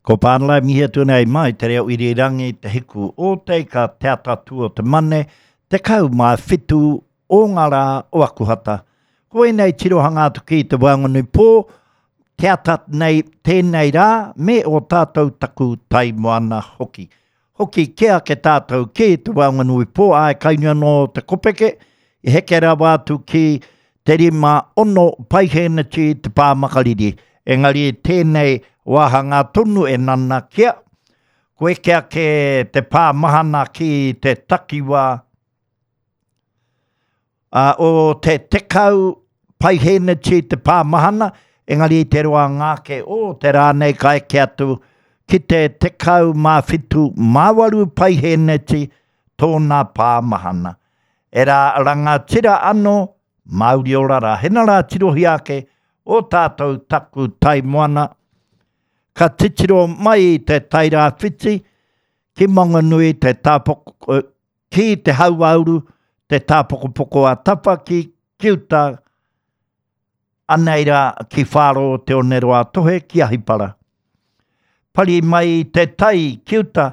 Ko Pānala e mihi atu nei mai te reo irirangi te hiku o te ika te atatū o te mane 17 o ngā rā o Akuhata. Ko ēnei tirohanga atu ki te waenganui pō, te ata nei tēnei rā me o tātou taku tai moana hoki. Hoki kē ake tātou ki te waenganui pō, āe kainui anō te kopeke, i heke rawa atu ki te 5, 6 paihēneti te pā makariri. Engari tēnei wāhangā tonu e nanakia, ko eke ake te pā mahana ki te takiwā, Ā, o te 10 paihēneti te pā mahana, engari i te roanga ake o te rā nei ka eke atu ki te 17 mā waru paihēneti tōna pā mahana. E rā rangatira anō, Māori ora rā. Hena rā tirohia ake o tātou taku tai moana, ka titiro mai i te Tairāwhiti ki Mangonui te tāpoko, Ki te hauāuru, te tāpokopoko a Tapa ki ki uta, anei rā ki Whāro o Te Oneroa-a-Tohe ki Ahipara. Pari mai i te tai ki uta,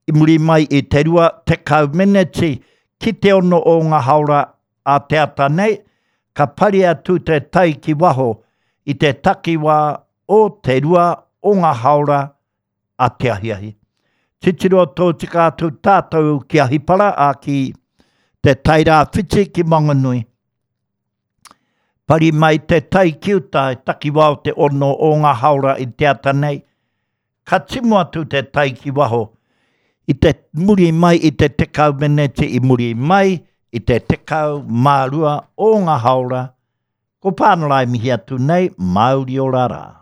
i muri mai i te 20 meneti ki te ono o ngā haora a te ata nei, ka pari atu te tai ki waho i te takiwā o te rua o ngā haora a te ahiahi. Titiro tōtika atu tātou ki Ahipara, ā, ki Te Tairāwhiti ki Mangonui. Pari mai te tai ki uta e takiwā o te ono o ngā haora i te ata nei, ka timu atu te tai ki waho i te muri mai i te 10 meneti i muri mai i te 12 o ngā haora, ko Pānara e mihi atu nei, Māori ora rā.